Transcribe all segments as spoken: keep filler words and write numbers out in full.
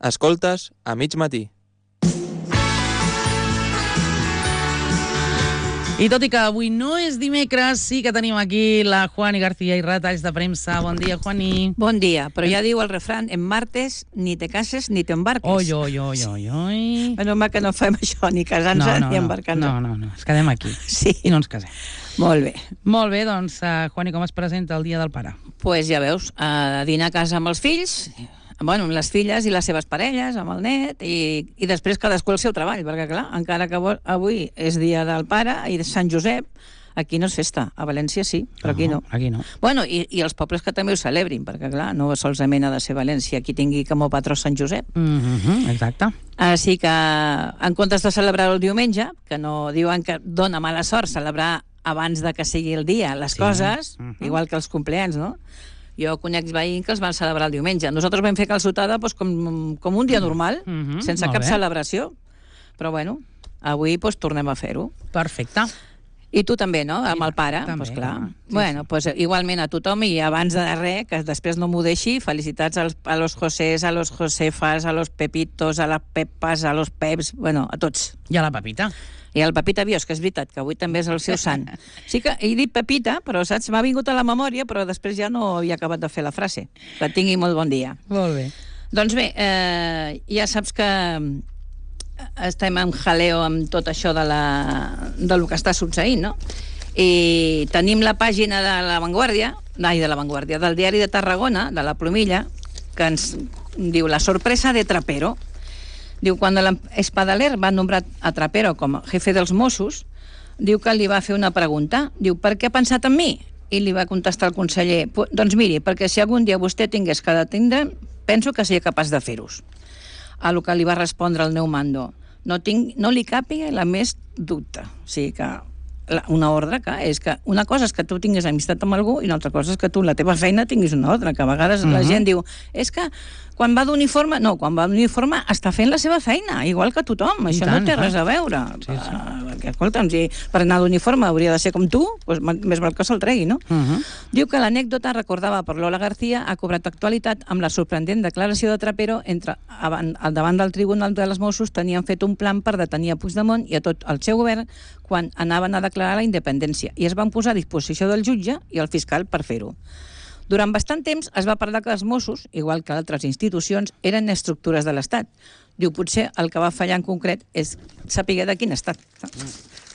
Escoltes a mig matí. I tot i que avui no és dimecres, sí que tenim aquí la Juani García i retalls de premsa. Bon dia, Juani. Bon dia, però ja diu el refrán, en martes ni te cases ni te embarques. Oi, oi, oi, oi, oi. Bueno, mal que no fem això, ni casant-se no, no, ni embarcant-se. No, no, no, ens quedem aquí. Sí. I no ens casem. Molt bé. Molt bé, doncs, uh, Juani, com es presenta el Dia del Pare? Doncs pues ja veus, a dinar a casa amb els fills, bueno, amb les filles i les seves parelles, amb el net, i, i després cadascú el seu treball, perquè clar, encara que avui és dia del pare i de Sant Josep, aquí no és festa. A València sí, però aquí no. Aquí no. Bueno, i, i els pobles que també ho celebrin, perquè clar, no solament ha de ser València qui tingui com a patró Sant Josep. Mm-hmm, exacte. Així que, en comptes de celebrar el diumenge, que no diuen que dona mala sort celebrar abans de que sigui el dia les sí. coses, uh-huh. igual que els compleanys, no? Jo conec veïns que els van celebrar el diumenge. Nosaltres vam fer calçotada doncs, com, com un dia normal, mm-hmm, sense cap bé. celebració. Però bueno, avui doncs, tornem a fer-ho. Perfecte. I tu també, no? Amb el pare. També, doncs, clar. Sí, bueno, sí. Doncs, igualment a tothom i abans de res, que després no m'ho deixi, felicitats als, a los Josés, a los Josefas, a los Pepitos, a les Pepas, a los Peps, bueno, a tots. I a la Pepita. I el Pepita Bios, que és veritat, que avui també és el seu sant. Sí que he dit Pepita, però saps, m'ha vingut a la memòria, però després ja no havia acabat de fer la frase. Que tingui molt bon dia. Molt bé. Doncs bé, eh, ja saps que estem en jaleo amb tot això de, la, de lo que està succeint, no? I tenim la pàgina de La Vanguardia, ai, de La Vanguardia, del diari de Tarragona, de la Plomilla, que ens diu la sorpresa de Trapero. Diu, quan l'Espadaler va nombrar a Trapero com a jefe dels Mossos, diu que li va fer una pregunta. Diu, per què ha pensat en mi? I li va contestar el conseller, doncs miri, perquè si algun dia vostè tingués que detindre, penso que seria capaç de fer-ho. A lo que li va respondre el Neumando, no, tinc, no li càpiga la més dubte. O sigui que una ordre que és que una cosa és que tu tinguis amistat amb algú i una altra cosa és que tu en la teva feina tinguis una ordre, que a vegades uh-huh. la gent diu, és que quan va d'uniforme, no, quan va d'uniforme està fent la seva feina, igual que tothom, això tant, no té res a veure. Sí, sí. Perquè, escolta'm, si per anar d'uniforme hauria de ser com tu, doncs més val que se'l tregui, no? Uh-huh. Diu que l'anècdota recordada per Lola García ha cobrat actualitat amb la sorprenent declaració de Trapero entre, al davant del Tribunal de les Mossos tenien fet un plan per detenir a Puigdemont i a tot el seu govern quan anaven a declarar la independència i es van posar a disposició del jutge i el fiscal per fer-ho. Durant bastant temps es va parlar que els Mossos, igual que altres institucions, eren estructures de l'Estat. Diu, potser el que va fallar en concret és saber de quin estat.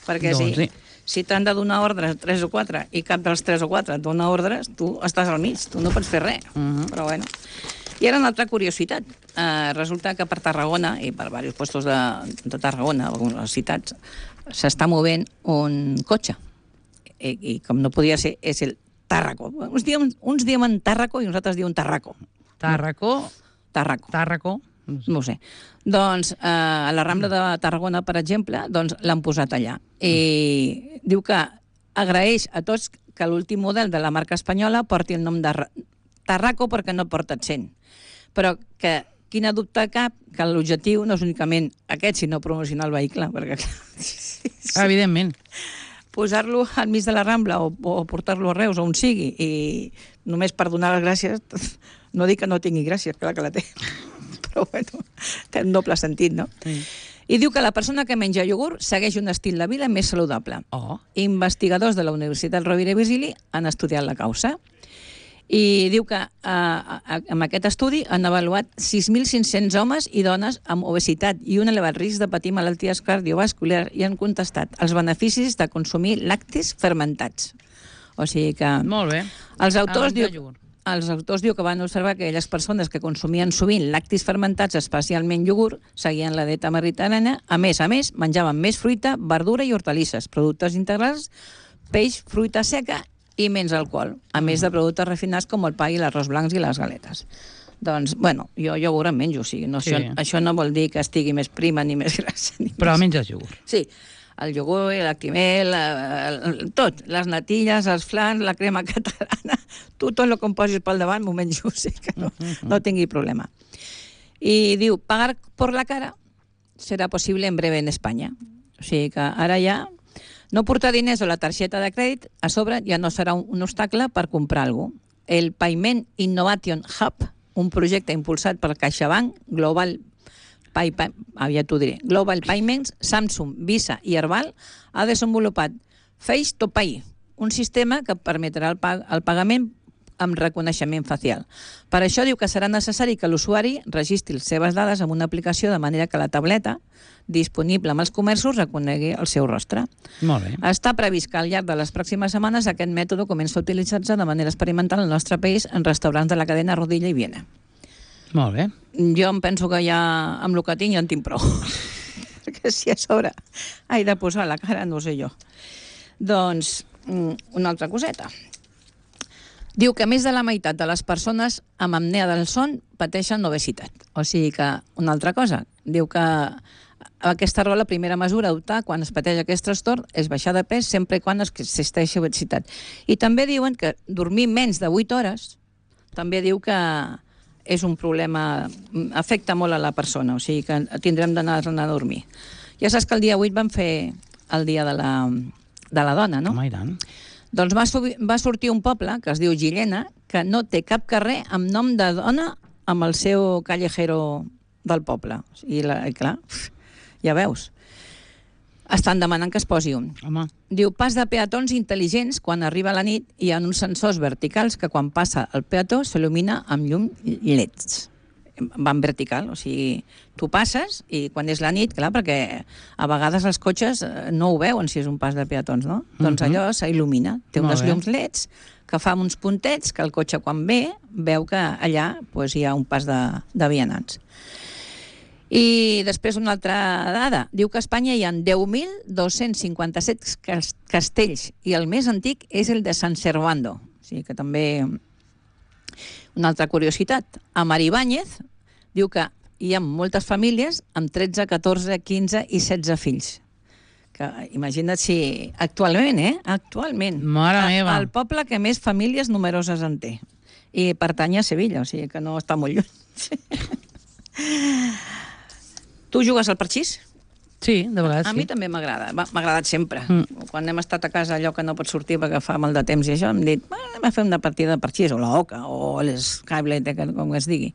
Perquè doncs, si, sí. si t'han de donar ordres tres o quatre i cap dels tres o quatre et dona ordres, tu estàs al mig, tu no pots fer res. Uh-huh. Però bueno. I ara una altra curiositat. Eh, resulta que per Tarragona, i per diversos puestos de, de Tarragona, algunes ciutats, s'està movent un cotxe. I, i com no podia ser, és el Tàrraco. Uns diem, uns diem en Tàrraco i nosaltres diem Tarraco. Tàrraco? Tàrraco. Tàrraco. No ho sé. Doncs eh, a la Rambla de Tarragona, per exemple, doncs l'han posat allà. I mm. diu que agraeix a tots que l'últim model de la marca espanyola porti el nom de Tàrraco perquè no porta accent. Però que quina dubte cap que l'objectiu no és únicament aquest, sinó promocionar el vehicle, perquè sí. Evidentment. Posar-lo al mig de la Rambla o, o portar-lo a Reus, on sigui, i només per donar les gràcies, no dic que no tingui gràcies, clar que la té, però bueno, té un doble sentit, no? Sí. I diu que la persona que menja iogurt segueix un estil de vida més saludable. Oh. Investigadors de la Universitat Rovira i Virgili han estudiat la causa. I diu que eh, amb aquest estudi han avaluat sis mil cinc-cents homes i dones amb obesitat i un elevat risc de patir malalties cardiovasculars i han contestat els beneficis de consumir lactis fermentats. O sigui que... Molt bé. Els autors, diu, els autors diu que van observar que aquelles persones que consumien sovint lactis fermentats, especialment iogurt, seguien la dieta mediterrània. A més a més, menjaven més fruita, verdura i hortalisses, productes integrals, peix, fruita seca i menys alcohol, a més de productes refinats com el pa i l'arròs blancs i les galetes. Doncs, bueno, jo iogurt en menjo, o sigui, no, sí. això, això no vol dir que estigui més prima ni més grassa. Ni Però més. menges iogurt. Sí, el iogurt, l'actimel, tot, les natilles, els flans, la crema catalana, tu tot el que em posis pel davant m'ho menjo, o sigui que no, no tingui problema. I diu, pagar por la cara serà possible en breve en Espanya. O sigui que ara ja... No portar diners o la targeta de crèdit a sobre ja no serà un, un obstacle per comprar alguna cosa. El Payment Innovation Hub un projecte impulsat per CaixaBank, Global Pay, Pay, aviat t'ho diré, Global Payments, Samsung, Visa i Herbal, ha desenvolupat Face to Pay, un sistema que permetrà el, pag el pagament amb reconeixement facial. Per això diu que serà necessari que l'usuari registri les seves dades en una aplicació de manera que la tableta disponible amb els comerços reconegui el seu rostre. Molt bé. Està previst que al llarg de les pròximes setmanes aquest mètode comença a utilitzar-se de manera experimental al nostre país en restaurants de la cadena Rodilla i Viena. Molt bé. Jo em penso que ja amb el que tinc ja en tinc prou. Perquè si a sobre he de posar la cara, no sé jo. Doncs, una altra coseta. Diu que més de la meitat de les persones amb apnea del son pateixen obesitat. O sigui que, una altra cosa, diu que aquesta raó la primera mesura a adoptar quan es pateix aquest trastorn és baixar de pes sempre i quan existeixi obesitat. I també diuen que dormir menys de vuit hores també diu que és un problema, afecta molt a la persona, o sigui que tindrem d'anar a dormir. Ja saps que el dia vuit vam fer el dia de la, de la dona, no? Home, i tant. Doncs va, va sortir un poble, que es diu Gillena, que no té cap carrer amb nom de dona amb el seu callejero del poble. I, la, i clar, ja veus. Estan demanant que es posi un. Home. Diu, pas de peatons intel·ligents, quan arriba la nit hi ha uns sensors verticals que quan passa el peató s'il·lumina amb llum leds. Van vertical, o sigui, tu passes i quan és la nit, clar, perquè a vegades els cotxes no ho veuen si és un pas de peatons, no? Uh-huh. Doncs allò s'il·lumina. Té unes llums leds que fa uns puntets que el cotxe quan ve veu que allà pues, hi ha un pas de, de vianants. I després una altra dada. Diu que a Espanya hi ha deu mil dos-cents cinquanta-set castells i el més antic és el de San Servando. O sigui que també... Una altra curiositat, a Maribáñez diu que hi ha moltes famílies amb tretze, catorze, quinze i setze fills. Que imagina't si... Actualment, eh? Actualment. Mare meva. El poble que més famílies numeroses en té. I pertany a Sevilla, o sigui que no està molt lluny. Tu jugues al parxís? Sí, de vegades A sí. mi també m'agrada, m'ha agradat sempre. Mm. Quan hem estat a casa allò que no pots sortir perquè fa mal de temps i això, hem dit, anem a fer una partida de parxís, o la oca, o l'Skyblade, com es digui.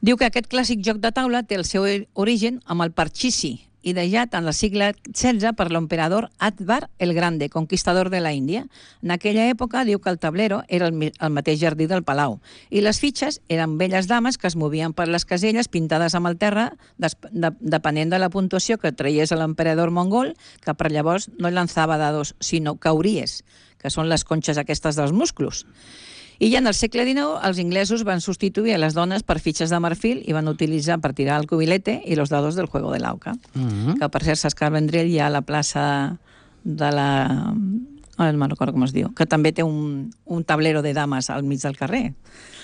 Diu que aquest clàssic joc de taula té el seu origen amb el parxisi, ideat en el segle setze per l'emperador Akbar el Grande, conquistador de la Índia. En aquella època diu que el tablero era el, el mateix jardí del palau i les fitxes eren velles dames que es movien per les caselles pintades amb el terra des, de, depenent de la puntuació que traies a l'emperador mongol, que per llavors no llançava dados, sinó cauries, que són les conxes aquestes dels musclos. I ja en el segle dinou els inglesos van substituir a les dones per fitxes de marfil i van utilitzar per tirar el cubilete i los dados del juego de l'auca. Mm-hmm. Que per cert, Sascar Vendrell hi ha a la plaça de la... Ara no me'n recordo com es diu. Que també té un, un tablero de dames al mig del carrer.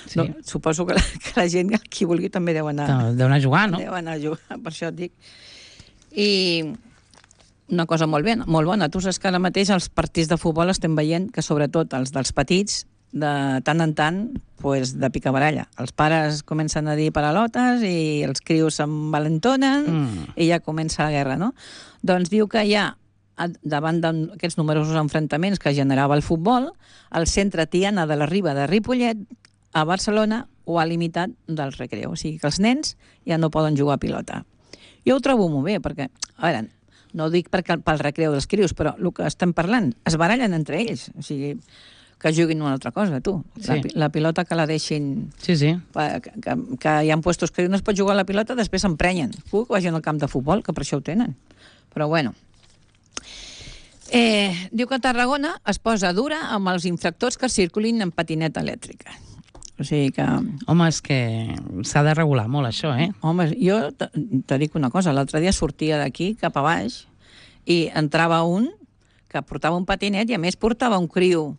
Sí. No, suposo que la, que la gent, qui vulgui, també deu anar... Deu anar a jugar, no? Deu anar a jugar, per això et dic. I una cosa molt, ben, molt bona. Tu saps que ara mateix els partits de futbol estem veient que sobretot els dels petits de tant en tant, pues, de picabaralla. Els pares comencen a dir paralotes i els crios s'envalentonen mm. i ja comença la guerra, no? Doncs diu que hi ha, davant d'aquests numerosos enfrontaments que generava el futbol, el centre Tiana de la Riba de Ripollet, a Barcelona, ho ha limitat del recreu. O sigui que els nens ja no poden jugar a pilota. Jo ho trobo molt bé, perquè, a veure, no ho dic perquè pel recreu dels crios, però el que estem parlant, es barallen entre ells. O sigui, que juguin una altra cosa, tu. Sí. La, la pilota que la deixin... Sí, sí. Que, que, que hi ha puestos que no es pot jugar a la pilota, després s'emprenyen. Que vagin al camp de futbol, que per això ho tenen. Però bueno. Eh, diu que a Tarragona es posa dura amb els infractors que circulin en patineta elèctrica. O sigui que... Home, és que s'ha de regular molt això, eh? Home, jo te, te dic una cosa. L'altre dia sortia d'aquí cap a baix i entrava un que portava un patinet i a més portava un criu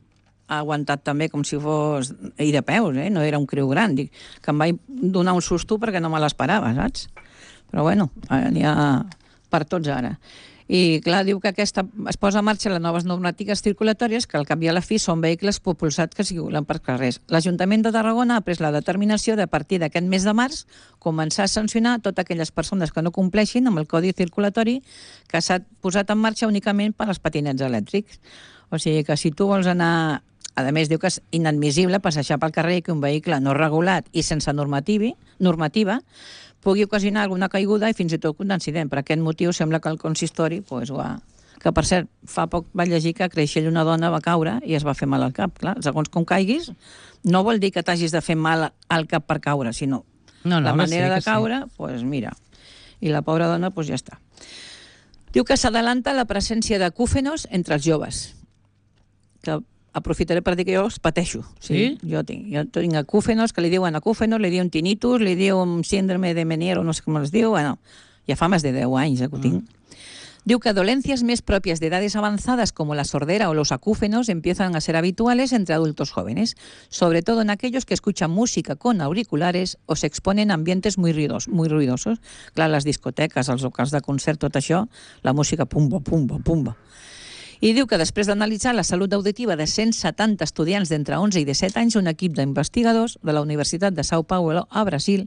aguantat també com si fos... i de peus, eh? No era un criu gran. Dic, que em vaig donar un susto perquè no me l'esperava, saps? Però bueno, n'hi ha per tots ara. I clar, diu que aquesta es posa en marxa les noves normatives circulatòries que al cap i a la fi són vehicles propulsats que circulen per carrers. L'Ajuntament de Tarragona ha pres la determinació de a partir d'aquest mes de març començar a sancionar totes aquelles persones que no compleixin amb el codi circulatori que s'ha posat en marxa únicament per als patinets elèctrics. O sigui que si tu vols anar A més, diu que és inadmissible passejar pel carrer que un vehicle no regulat i sense normativi, normativa pugui ocasionar alguna caiguda i fins i tot un accident. Per aquest motiu sembla que el consistori, pues, ho ha... que per cert, fa poc va llegir que a Creixell una dona va caure i es va fer mal al cap. Clar, segons com caiguis, no vol dir que t'hagis de fer mal al cap per caure, sinó no, no, la manera sí, de caure, doncs sí. pues, mira. I la pobra dona, pues, ja està. Diu que s'adalanta la presència de acúfenos entre els joves. Que aprofitaré per dir que jo els pateixo. Sí? Jo tinc, jo tinc acúfenos, que li diuen acúfenos, li diuen tinnitus, li diuen síndrome de Meniere, no sé com els diu. Bueno, ja fa més de deu anys eh, que ho tinc. Mm. Diu que dolencias más propias de edades avanzadas como la sordera o los acúfenos empiezan a ser habituales entre adultos jóvenes, sobre todo en aquellos que escuchan música con auriculares o se exponen a ambientes muy ruidosos. Muy ruidosos. Clar, les discoteques, els locals de concert, tot això, la música pumba, pumba, pumba. I diu que després d'analitzar la salut auditiva de cent setanta estudiants d'entre onze i disset anys, un equip d'investigadors de la Universitat de São Paulo a Brasil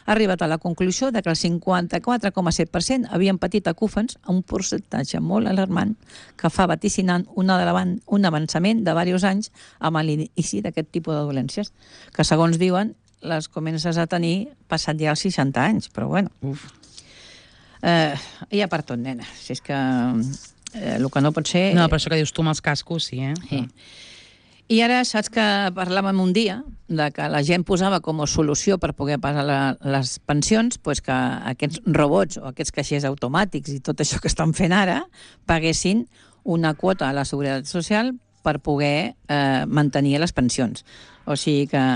ha arribat a la conclusió de que el cinquanta-quatre coma set per cent havien patit acúfens, a un percentatge molt alarmant que fa vaticinar un, un avançament de diversos anys amb l'inici d'aquest tipus de dolències, que segons diuen les comences a tenir passat ja els seixanta anys, però bueno. Uf. Eh, hi ha per tot, nena. Si és que... Eh, el que no pot ser... No, però això que dius tu amb els cascos, sí, eh? Sí. I ara saps que parlàvem un dia de que la gent posava com a solució per poder pagar la, les pensions, pues que aquests robots o aquests caixers automàtics i tot això que estan fent ara paguessin una quota a la Seguretat Social per poder eh, mantenir les pensions. O sigui que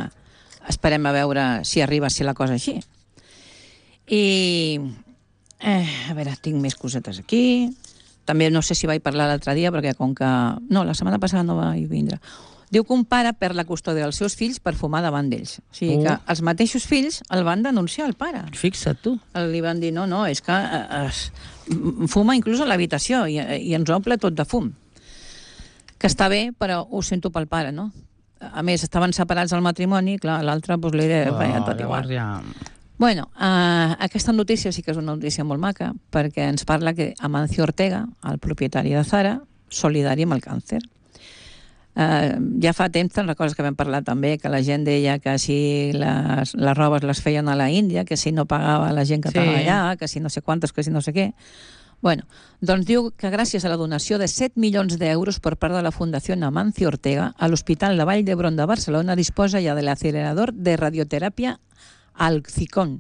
esperem a veure si arriba a ser la cosa així. I... Eh, a veure, tinc més cosetes aquí... També no sé si vaig parlar l'altre dia, perquè com que... No, la setmana passada no vaig vindre. Diu que un pare perd la custòdia dels seus fills per fumar davant d'ells. O sigui uh. que els mateixos fills el van denunciar al pare. Fixa't tu. Li van dir, no, no, és que eh, eh, fuma inclús a l'habitació i, i ens omple tot de fum. Que està bé, però ho sento pel pare, no? A més, estaven separats al matrimoni, clar, l'altre pues, li deia, oh, tot igual. Ja... Bueno, uh, aquesta notícia sí que és una notícia molt maca, perquè ens parla que Amancio Ortega, el propietari de Zara, solidari amb el càncer. Uh, ja fa temps, te'n recordes que vam parlar també, que la gent deia que si les, les robes les feien a la Índia, que si no pagava la gent que estava sí. allà, que si no sé quantes, que si no sé què. Bueno, doncs diu que gràcies a la donació de set milions d'euros per part de la Fundació Amancio Ortega, a l'Hospital de Vall d'Hebron de Barcelona disposa ja de l'acelerador de radioteràpia al Zicón,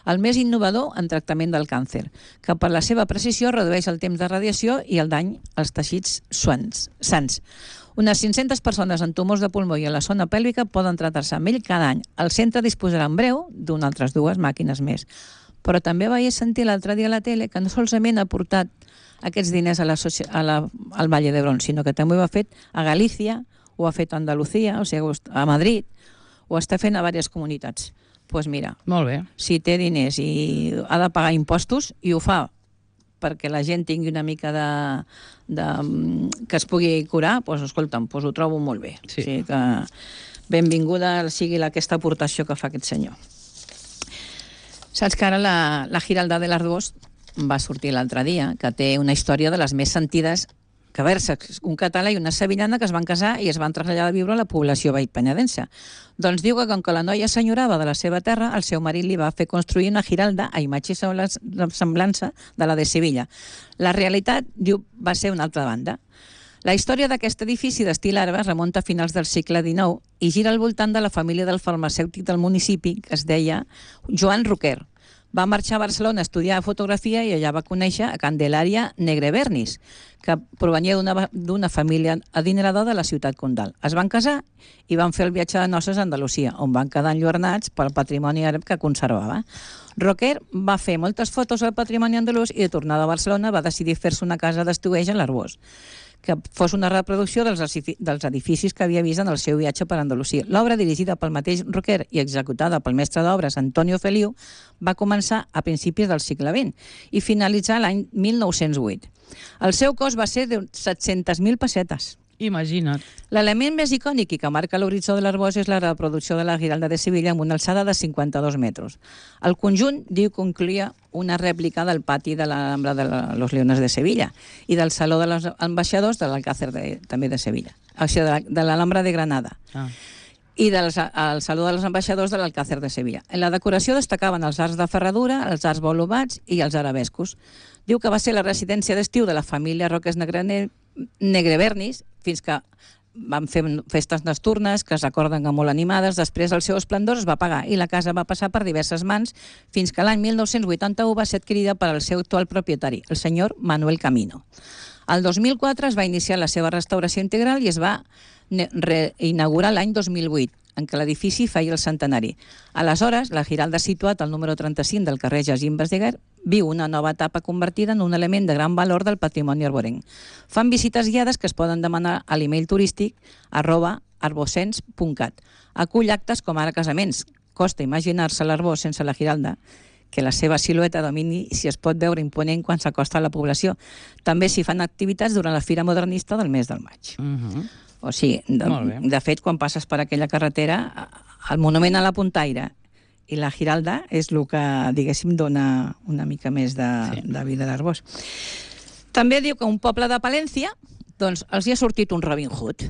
el més innovador en tractament del càncer, que per la seva precisió redueix el temps de radiació i el dany als teixits suans, sans. Unes cinc-centes persones amb tumors de pulmó i a la zona pèlvica poden tractar-se amb ell cada any. El centre disposarà en breu d'unes altres dues màquines més. Però també vaig sentir l'altre dia a la tele que no solament ha portat aquests diners a la, a la, al Valle d'Hebron, sinó que també ho ha fet a Galícia, ho ha fet a Andalucía, o sigui, a Madrid, ho està fent a diverses comunitats. Doncs pues mira, molt bé. Si té diners i ha de pagar impostos i ho fa perquè la gent tingui una mica de, de que es pugui curar, doncs escolta'm, doncs ho trobo molt bé. Sí. O sigui que benvinguda sigui aquesta aportació que fa aquest senyor. Saps que ara la, la Giralda de l'Arboç va sortir l'altre dia, que té una història de les més sentides que versa un català i una sevillana que es van casar i es van traslladar a viure a la població veïnpenyadense. Doncs diu que com que la noia senyorava de la seva terra, el seu marit li va fer construir una giralda a imatge i semblança de la de Sevilla. La realitat, diu, va ser una altra banda. La història d'aquest edifici d'estil àrab es remunta a finals del segle dinou i gira al voltant de la família del farmacèutic del municipi, que es deia Joan Roquer. Va marxar a Barcelona a estudiar fotografia i allà va conèixer a Candelària Negrebernis, que provenia d'una família adinerada de la ciutat condal. Es van casar i van fer el viatge de noces a Andalusia, on van quedar enlluernats pel patrimoni àrab que conservava. Roquer va fer moltes fotos al patrimoni andalús i de tornada a Barcelona va decidir fer-se una casa d'estiueig a l'Arboç, que fos una reproducció dels edificis que havia vist en el seu viatge per Andalusia. L'obra, dirigida pel mateix Roquer i executada pel mestre d'obres Antonio Feliu, va començar a principis del segle vint i finalitzar l'any mil nou-cents vuit. El seu cost va ser de set-centes mil pessetes. Imagina't. L'element més icònic i que marca l'horitzó de l'Arboç és la reproducció de la Giralda de Sevilla amb una alçada de cinquanta-dos metres. El conjunt, diu que incloïa una rèplica del pati de l'Alhambra de la, los Leones de Sevilla i del Saló de los Ambaixadors de l'Alcácer de, també de Sevilla, o sigui, de l'Alhambra de Granada. Ah. I del Saló dels Ambaixadors de l'Alcácer de Sevilla. En la decoració destacaven els arcs de ferradura, els arcs volumats i els arabescos. Diu que va ser la residència d'estiu de la família Roques Negrevernis fins que van fer festes nocturnes que es recorden que molt animades. Després el seu esplendor es va apagar i la casa va passar per diverses mans fins que l'any mil nou-cents vuitanta-u va ser adquirida per al seu actual propietari, el senyor Manuel Camino. El dos mil quatre es va iniciar la seva restauració integral i es va reinaugurar l'any dos mil vuit, en què l'edifici feia el centenari. Aleshores, la Giralda, situat al número trenta-cinc del carrer Jacint Verdaguer, viu una nova etapa convertida en un element de gran valor del patrimoni arborenc. Fan visites guiades que es poden demanar a l'email turístic arroba arbocens punt cat. Acull actes com ara casaments. Costa imaginar-se l'arbor sense la Giralda, que la seva silueta domini si es pot veure imponent quan s'acosta a la població. També s'hi fan activitats durant la Fira Modernista del mes del maig. Uh-huh. O sigui, de, de fet, quan passes per aquella carretera, el monument a la Puntaire i la Giralda és el que, diguéssim, dona una mica més de, sí. de vida d'arbors. També diu que un poble de Palència, doncs, els hi ha sortit un Robin Hood.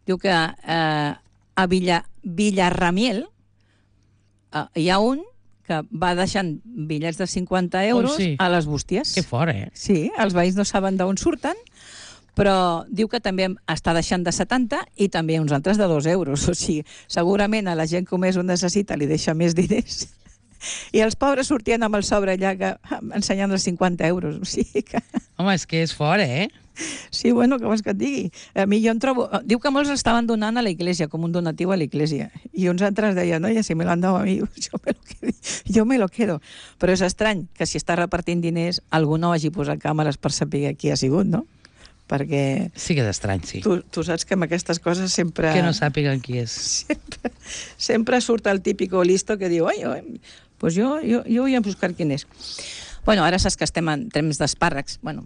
Diu que eh, a Villa, Villarramiel eh, hi ha un que va deixant bitllets de cinquanta euros oh, sí. a les bústies. Que fort, eh? Sí, els veïns no saben d'on surten, però diu que també està deixant de setanta i també uns altres de dos euros. O sigui, segurament a la gent que més ho necessita li deixa més diners. I els pobres sortien amb el sobre allà que, ensenyant els cinquanta euros. O sigui que... Home, és que és fort, eh? Sí, bueno, què vols que et digui? A mi jo en trobo... Diu que molts estaven donant a la iglesia, com un donatiu a la iglesia. I uns altres deien, no, ja si me l'han dado a mi, jo me lo quedo. Jo me lo quedo. Però és estrany que si està repartint diners algú no hagi posat càmeres per saber qui ha sigut, no? Perquè... Sí que és estrany, sí. Tu, tu saps que amb aquestes coses sempre... Que no sàpiguen qui és. Sempre, sempre surt el típico listo que diu, ai, pues jo, jo, jo voy a buscar quién és. Bueno, ara saps que estem en temps d'espàrrecs. Bueno,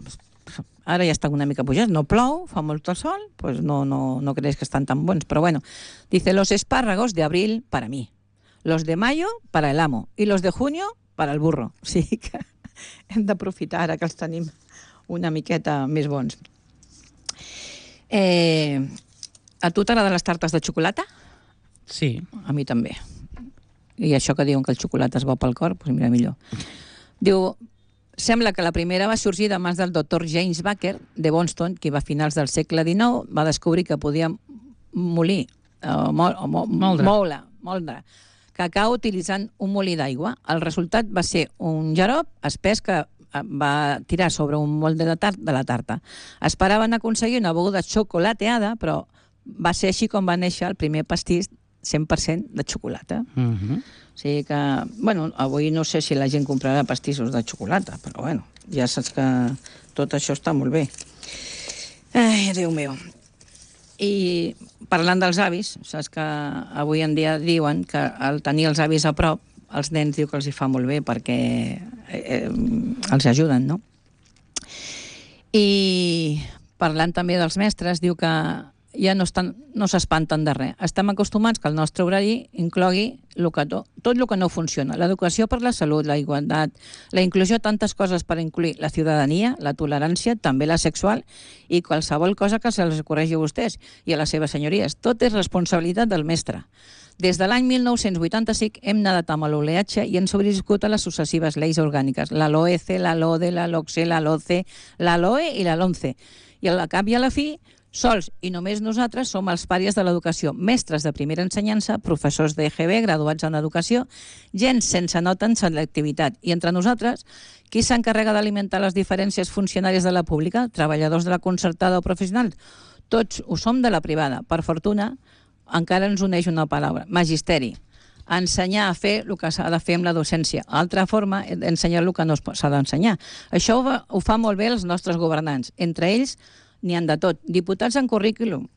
ara ja estan una mica pujats, no plou, fa molt el sol, pues no, no, no creus que estan tan bons. Però bueno, dice, los espárragos de abril para mí, los de mayo para el amo y los de junio para el burro. O sigui que hem d'aprofitar ara que els tenim una miqueta més bons. Eh, a tu t'agraden les tartes de xocolata? Sí. A mi també. I això que diuen que el xocolata es bo pel cor, doncs mira, millor. Diu, sembla que la primera va sorgir de mans del doctor James Baker de Boston, que a finals del segle dinou va descobrir que podia molir, uh, mo, mo, moldre. moure, moldre cacau utilitzant un molí d'aigua. El resultat va ser un xarop espès que va tirar sobre un molde de, tart, de la tarta. Esperaven aconseguir una beguda xocolateada, però va ser així com va néixer el primer pastís cent per cent de xocolata. Uh-huh. O sigui que, bueno, avui no sé si la gent comprarà pastissos de xocolata, però bueno, ja saps que tot això està molt bé. Ai, Déu meu. I parlant dels avis, saps que avui en dia diuen que al tenir els avis a prop, els nens diu que els hi fa molt bé perquè eh, els ajuden, no? I parlant també dels mestres, diu que ja no estan, no s'espanten de res. Estem acostumats que el nostre horari inclogui lo que to, tot el que no funciona. L'educació per la salut, la igualtat, la inclusió, tantes coses per incluir la ciutadania, la tolerància, també la sexual i qualsevol cosa que se les ocorregi a vostès i a les seves senyories. Tot és responsabilitat del mestre. Des de l'any mil nou-cents vuitanta-cinc hem nadat amb l'oleatge i hem sobreviscut a les successives lleis orgàniques, la LOECE, la LODE, la LOCSE, la LOCE, la LOE i la LONCE. I al cap i a la fi, sols i només nosaltres som els pàries de l'educació, mestres de primera ensenyança, professors d'E G B, graduats en educació, gent sense nota en selectivitat. I entre nosaltres, qui s'encarrega d'alimentar les diferències funcionàries de la pública, treballadors de la concertada o professionals? Tots ho som de la privada. Per fortuna, encara ens uneix una paraula, magisteri. Ensenyar a fer el que s'ha de fer amb la docència. Altra forma, ensenyar el que no s'ha d'ensenyar. Això ho fa molt bé els nostres governants. Entre ells, n'hi han de tot. Diputats en currículum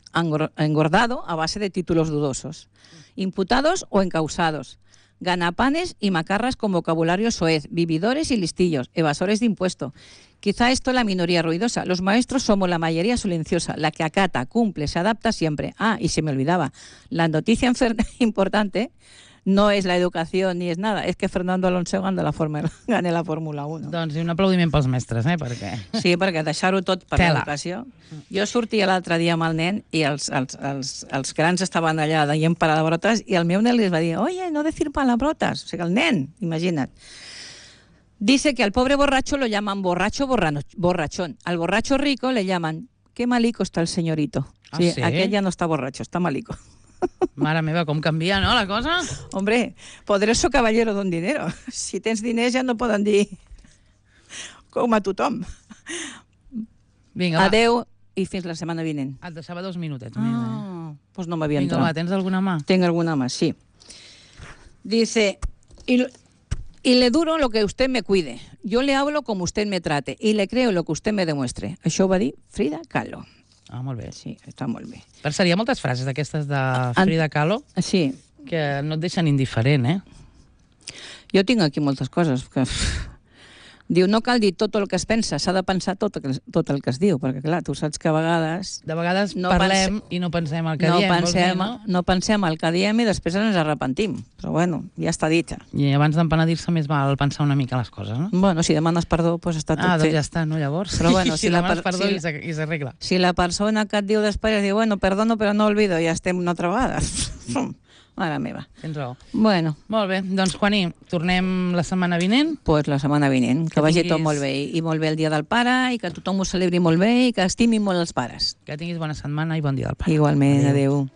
engordado a base de títulos dudosos. Imputados o encausados. Ganapanes y macarras con vocabulario soez. Vividores y listillos. Evasores de impuesto. Quizá esto es la minoría ruidosa. Los maestros somos la mayoría silenciosa, la que acata, cumple, se adapta siempre. Ah, y se me olvidaba. La noticia importante no es la educación ni es nada, es que Fernando Alonso gane la, Fórmula, gane la Fórmula uno. Doncs i un aplaudiment pels mestres, eh? Perquè... Sí, perquè deixar-ho tot per Tela. l'educació. Jo sortia l'altre dia amb el nen i els, els, els, els grans estaven allà deient palabrotes i el meu nen li va dir, oye, no decir palabrotes. O sigui, el nen, imagina't. Dice que al pobre borracho lo llaman borracho borrano, borrachón. Al borracho rico le llaman, qué malico está el señorito. Ah, sí, sí? Aquell ja no està borracho, està malico. Mare meva, com canvia, no, la cosa? Hombre, poderoso caballero don dinero. Si tens diners ja no poden dir com a tothom. Vinga, va. Adeu i fins la setmana vinent. Et deixava dos minutets. Ah, mira. doncs pues no m'havia Vinga, entrat. va, tens alguna mà? Tengo alguna más, sí. Dice, y, y le duro lo que usted me cuide. Yo le hablo como usted me trate y le creo lo que usted me demuestre. Això ho va dir Frida Kahlo. Ah, molt bé. Sí, està molt bé. Per cert, hi ha moltes frases d'aquestes de En- Frida Kahlo Sí, que no et deixen indiferent, eh? jo tinc aquí moltes coses que... Diu, no cal dir tot el que es pensa, s'ha de pensar tot el, que, tot el que es diu, perquè clar, tu saps que a vegades De vegades No parlem i no pensem el que no, diem. vols pensem, dir, no? no pensem el que diem i després ens arrepentim. Però bueno, ja està dit. I abans d'empenedir-se més val pensar una mica les coses, no? Bueno, si demanes perdó, doncs està tot Ah, doncs fet. ja està, no, llavors? Però bueno, si, si la demanes per- perdó si- i s'ar- i s'arregla. Si la persona que et diu després diu, bueno, perdono però no olvido, ja estem una altra vegada. Mare meva. Tens raó. Bueno, Molt bé, doncs, Juaní, tornem la setmana vinent. pues la setmana vinent, que, Que vagi tinguis- tot molt bé, i molt bé el dia del pare, i que tothom ho celebri molt bé, i que estimin molt els pares. Que tinguis bona setmana i bon dia del pare. Igualment, Adéu. adeu.